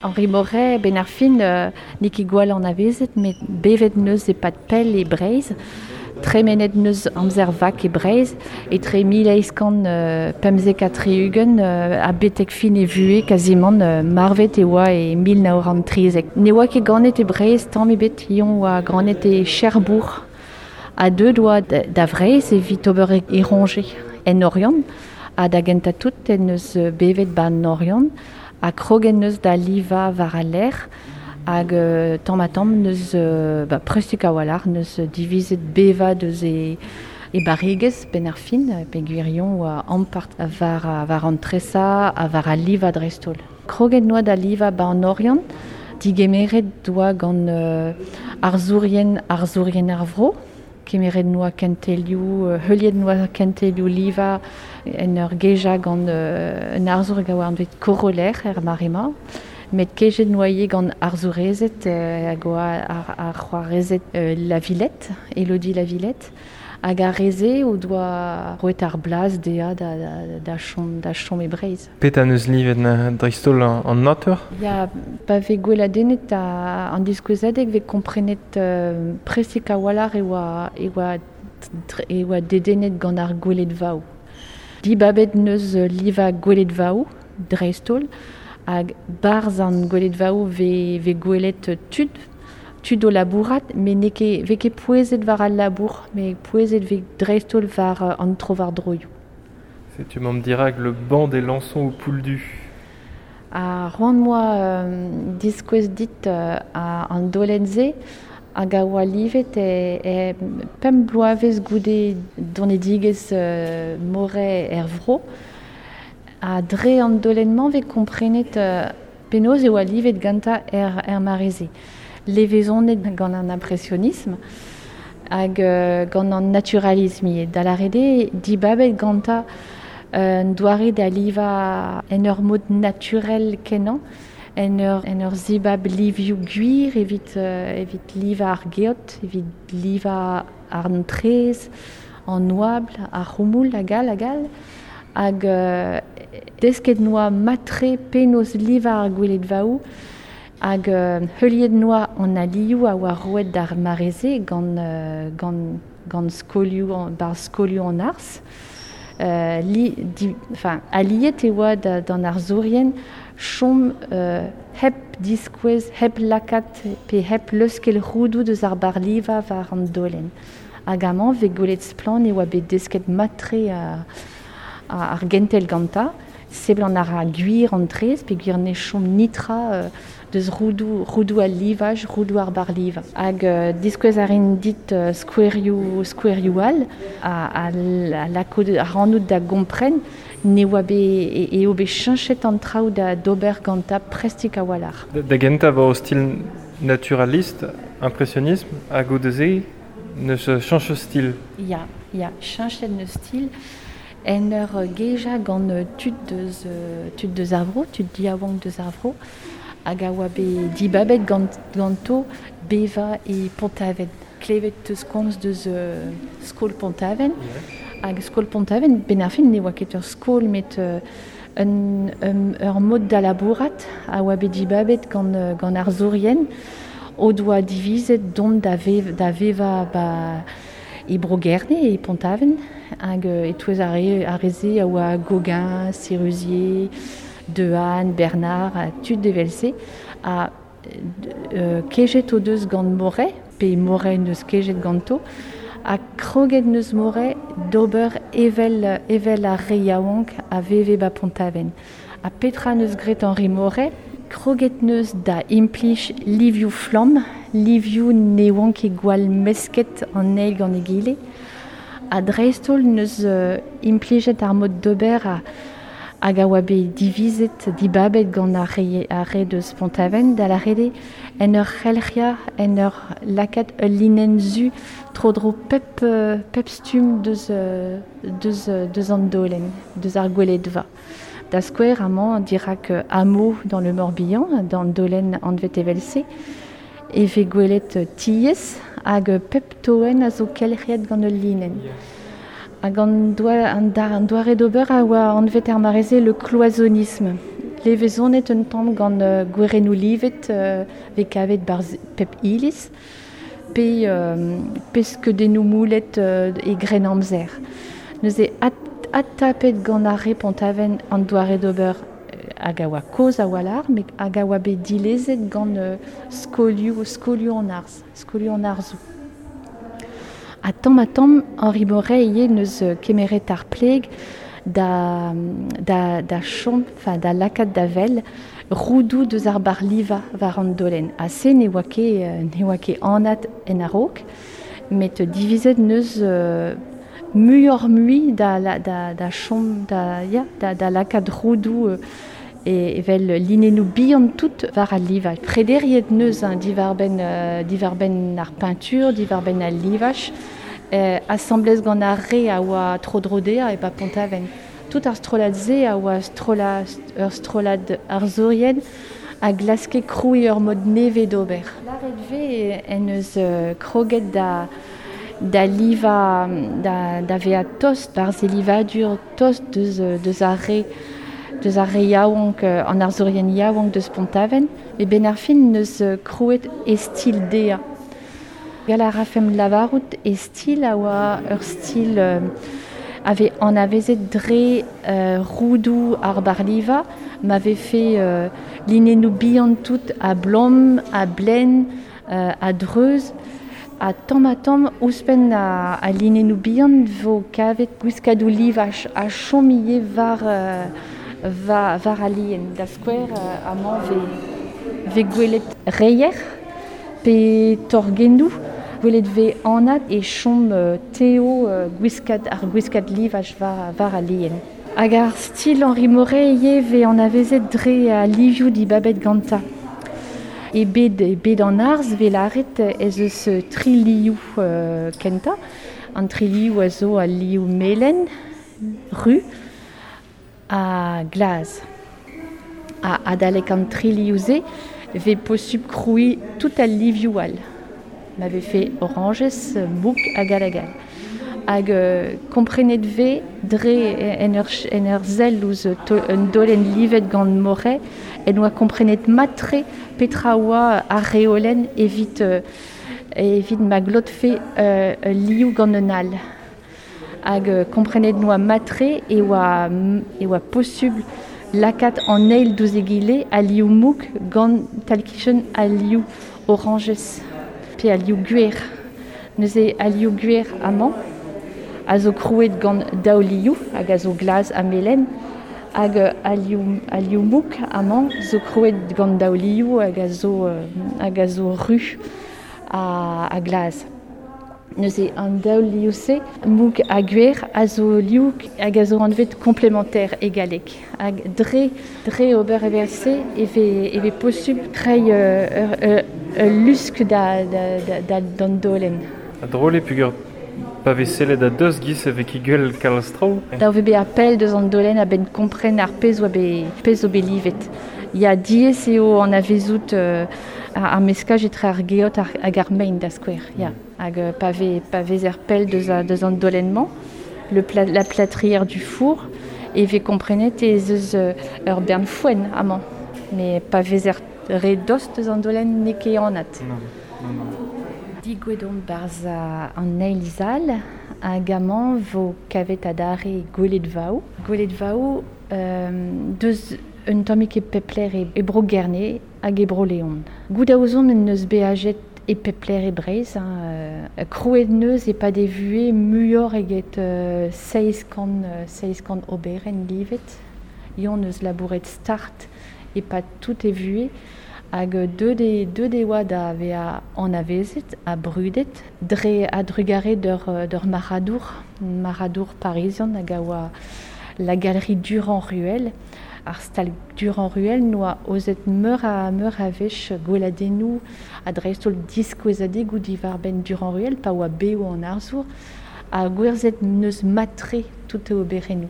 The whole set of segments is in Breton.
Henri Moret, ben ar fin, n'eo ket gwall anavezet, met bevet neus e-pad pell e Breizh, tremenet neus amzer vak e Breizh, etre 1875 ha betek fin e vuhez kazimant marvet e oa e 1913. Ne oa ket ganet e Breizh tamm ebet, eñ oa ganet e Cherbourg, ha deuet oa da Vreizh evit ober e roñje en Oriant, ha da gentañ tout en deus bevet 'ba 'n Oriant, ha kroget neus da livañ war al lec'h, hag tamm-ha-tamm neus ba prestik a-walc'h neus divizet bevañ deus e e barregezh 'benn ar fin, peogwir eñ oa ampart war war an tresañ ha war al livañ dreist-holl. Kroget noa da livañ 'ba an Oriant, digemeret oa gant arzourien arzourien ar vro, kemeret noa kentelioù, heuliet noa kentelioù livañ en ur gejañ gant un arzour hag a oa anvet Coroller er mare-mañ, met kejet noa ivez gant arzourezed hag oa ar c'hoarezed La Villette, Elodie La Villette, hag ar re-se o doa roet ar blaz dezhañ da chom da chom e Breizh. Petra 'neus livet dreist-holl an natur? Ya, pa vez gweladennet an diskouezadeg 'vez komprenet prestik a-walc'h e oa e oa e oa dedennet gant ar gweledvaoù. Dibabet 'neus livañ gweledvaoù dreist-holl hag 'barzh an gweledvaoù 'vez 'vez gwelet tud, tud o labourat met n'eo ket 'vez ket pouezet war al labour met pouezet 'vez dreist-holl war an trowardroioù. Setu 'maomp dirak le banc des Lançons au Pouldu. Ha c'hoant 'moa diskouez dit an daolenn-se hag a oa livet e pemp bloavezh goude donedigezh Moret er vro. Ha dre an daolenn-mañ 'vez komprenet penaos e oa livet gantañ er mare-se. Levezonet gant an impresionism hag gant an naturalism ivez. Da lâret eo dibabet gantañ un doare da livañ en ur mod naturel kenañ, en ur en ur zibab livioù gwir evit evit livañ ar geot, evit livañ an traezh, an oabl, ar c'houmoul hag all hag all. Hag desket 'noa mat-tre penaos livañ ar gweledvaoù hag heuliet 'noa an alioù a oa roet d'ar mare-se gant gant gant skolioù 'barzh skolioù an arz. Li di enfin aliet e oa d'an arzourien chom hep diskouez, hep lakaat pe hep leuskel roudoù deus ar barr-livañ war an daolenn. Hag amañ 'vez gwelet splann e oa bet desket mat-tre ar gentel gantañ. Seblant a ra gwir an traezh peogwir ne chom netra deus roudoù roudoù al livaj, roudoù ar barr-livañ. Hag diskouez a rin dit skouerioù skouerioù all a lako ac'hanout da gompren ne oa bet eo bet cheñchet an traoù da d'ober gantañ prestik a-walc'h. Da gentañ 'vo stil naturaliste, impressionnisme, hag goude-se 'neus cheñchet stil. Ya, ya, cheñchet 'neus stil en ur gejañ gant tud deus tud deus ar vro, tud diaouank deus ar vro, hag a oa bet dibabet ganto bevañ e Pont-Aven. Klevet 'teus komz deus skol Pont-Aven, hag skol Pont-Aven, 'benn ar fin ne oa ket ur skol met un ur mod da labourat a oa bet dibabet gant gant arzourien o doa divizet dont da da vevañ 'ba e Bro-Gerne, e Pont-Aven, hag e-touez ar re ar re-se a oa Gauguin, Sérusier, Dehaene, Bernard, ha tud evel-se. Ha kejet o deus gant Moret, pe Moret 'neus kejet ganto, ha kroget 'neus Moret d'ober evel evel ar re yaouank a veve 'ba Pont-Aven. Ha petra 'neus graet Henri Moret? Kroget 'neus da implij livioù flamm, livioù ne oant ket gwall mesket an eil gant egile. Ha dreist-holl 'neus implijet ar mod d'ober hag a oa bet divizet, dibabet gant ar re ar re deus Pont-Aven, da lâret eo en ur c'helc'hiañ, en ur lakaat ul linenn zu tro-dro pep pep stumm deus deus deus an daolenn, deus ar gweledva. Da skouer amañ dirak Hameau dans le Morbihan, d'an daolenn anvet evel-se, e vez gwelet tiez hag pep toenn a zo kelc'hiet gant ul linenn. Hag an an doare d'ober a oa anvet er mare-se le cloisonnisme. Levezonet un tamm gant gwerennoù livet vez kavet barzh pep iliz, pe, pe skeudennoù moulet e Grennamzer. Neuze adtapet gant ar re Pont-Aven an doare d'ober hag a oa kozh a-walc'h, met hag a oa bet dilezet gant skolioù, skolioù an arz, skolioù an arzoù. Ha tamm-ha-tamm, Henri Moret ivez neus kemeret ar pleg da, da, da chom, enfin da lakaat da wel roudoù deus ar barr-livañ war an daolenn. Ha se ne oa ket, ne oa ket anat en a-raok, met divizet neus muioc'h-mui da, da, da chom, da, ya, da, da lakaat roudoù evel linennoù bihan tout war al livaj. Prederiet neus hein, diwar-benn diwar-benn ar peñtur, diwar-benn al livaj, asambles gant ar re a oa tro-dro dezhañ e ba Pont-Aven. Tout ar strollad-se a oa strollad, ur strollad arzourien a glaske krouiñ ur mod nevez d'ober. Lâret 'vez en deus kroget da da livañ, da, da vezañ tost barzh e livadur, tost deus, deus ar re deus ar re yaouank, an arzourien yaouank deus Pont-Aven, met 'benn ar fin 'neus krouet e stil dezhañ. Gall a rafemp lavarout e stil a oa ur stil a vez anavezet dre roudoù ar barr-livañ, ma vefe linennoù bihan tout a-blom, a-blen, a-dreuz, ha tamm-ha-tamm ouzhpenn al linennoù bihan 'vo kavet gwiskadoù livaj a chom ivez war, war al lien. Da skouer, amañ 'vez gwelet reier pe torgennoù. Gwelet 'vez anat e chom tev gwiskad ar gwiskad livaj war, war al lien. Hag ar stil Henri Moret ivez 'vez anavezet dre al livioù dibabet gantañ. E bed, e bed an arz 'vez lâret ez eus tri liv kentañ. An tri liv a zo al liv melen, ru ha glas. Ha adalek an tri liv-se 'vez posupl krouiñ tout al livioù all. Ma vefe orañjez, mouk hag all hag all. Hag komprenet 'vez dre en ur, en ur sell ouzh un daolenn livet gant Moret en doa komprenet mat-tre petra oa ar reolenn evit, evit ma glotfe ul liv gant un all. Hag komprenet 'noa mat-tre e oa, e oa posubl lakaat an eil diouzh egile al liv mouk gant tal-kichen al liv orañjez pe al liv gwer. Neuze al liv gwer amañ a zo krouet gant daou liv hag a zo glas ha melen, hag al liv, al liv mouk amañ zo krouet gant daou liv hag a zo, hag a zo ru ha, ha glas. Neuze an daou liv-se, mouk ha gwer, a zo liv hag a zo anvet complémentaire e galleg. Hag dre, dre ober evel-se e vez, e vez posubl treiñ ur, ur, ul lusk da, da, da, da, d'an daolenn. Ha drol eo peogwir pa vez sellet a-dost 'giz e vez ket gwell kalz traoù. Dav eo bezañ pell deus an daolenn a-benn kompren ar pezh oa bet, pezh zo bet livet. Ya, diaes eo anavezout ar meskaj etre ar geot hag ar mein da skouer. Ya. Hag pa vez, pa vezer pell deus, deus an daolenn-mañ, le pla, la plâtrière du four, e vez komprenet ez eus ur bern foenn amañ. Met pa vezer re dost deus an daolenn n'eo ket anat. Non, non, non. Digouet on 'barzh an eil sal hag amañ 'vo kavet adarre gweledvaoù. Gweledvaoù deus un tammig e pep lec'h e Bro-Gerne hag e Bro-Leon. Goût a ouzon en deus beajet e pep lec'h e Breizh. Hein, krouet neus e-pad e vuhez muioc'h eget 700, 700 oberenn livet. Yann eus labouret start e-pad tout e vuhez hag deuet e, deuet e oa da vezañ anavezet ha brudet dre a-drugarez d'ur, d'ur marc'hadour, marc'hadour parizian hag a oa la galerie Durand-Ruel. Ar stal Durand-Ruel 'noa aozet meur a, meur a wech gweladennoù ha dreist-holl diskouezadegoù diwar-benn Durand-Ruel pa oa bev an arzour ha gwerzhet 'neus mat-tre tout e oberennoù.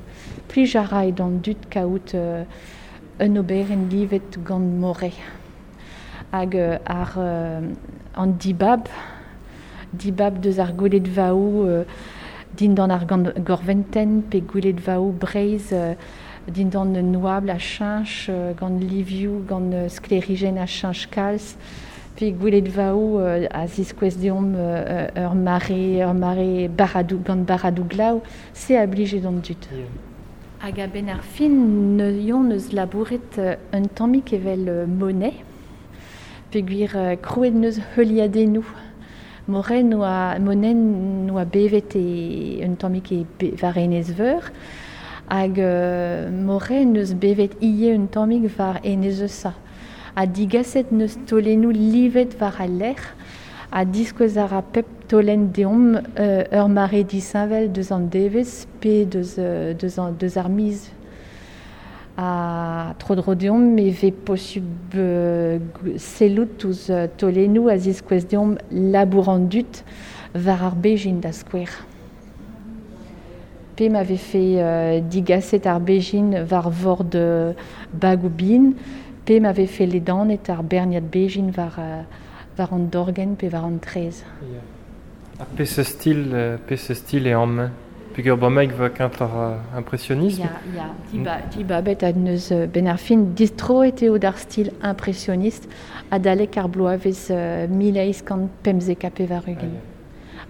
Plij a rae d'an dud kaout un oberenn livet gant Moret. Hag ar, an dibab, dibab deus ar gweledvaoù dindan ar gorventenn pe gweledvaoù Breizh. dindan un oabl a cheñch gant livioù, gant sklêrijenn a cheñch kalz, pe gwelet vaou a ziskouez deomp ur mare barradoù, gant barradoù glav, se a blije d'an dud. Hag a-benn ar fin neuion eus labouret un tammig evel Monet, peogwir krouet neus heuliadennoù. Moret noa, Monet noa bevet e un tammig e war Enez Veur, hag Moret neus bevet ivez un tammig war Enez Eusa. Ha digaset neus taolennoù livet war al lec'h, ha diskouez a ra pep taolenn deomp ur mare disheñvel deus an devezh pe deus ar miz. Ha tro-dro deomp e vez posubl sellout ouzh taolennoù a ziskouez deomp labour an dud war ar bezhin da skouer. Pe ma vefe digaset ar bezhin war vord bagoù bihan, pe ma vefe ledanet ar berniad bezhin war an dorgenn pe war an traezh. Yeah. Ha peseurt stil eo amañ? Peogwir bremaik va kentoc'h impressionisme. Ya, dibabet a neus ben ar fin distroet eo d'ar stil impressionniste adalek ar bloavezh 1895.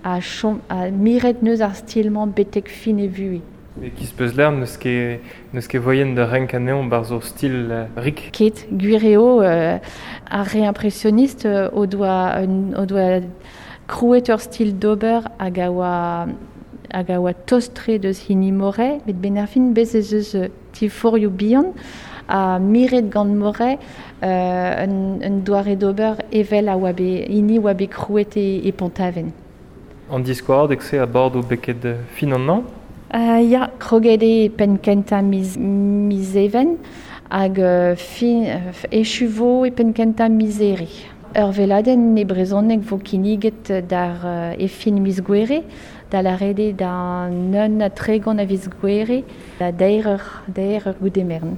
Ha chom ha miret neus ar stil-mañ betek fin e vuhez. E kiz peus ler n'eus ket voien da renk anezhañ barzh ur stil rik. Ket, gwir eo ar re impressionniste o doa krouet ur stil d'ober hag a oa tost-tre deus hini Moret, met ben ar fin bez ez eus diforc'hioù bihan ha miret gant Moret un doare d'ober evel a oa bet hini oa bet krouet e Pont-Aven. An diskouezadeg se a bado beket fin an hañv? Ya, kroget eo e penn kentañ miz Even hag fin echu vo e penn kentañ miz Here. Ur veladenn e brezhoneg vo kinniget d'ar e fin miz Gouere, da lâret eo da 31 a viz Gouere, da 3 eur goude merenn.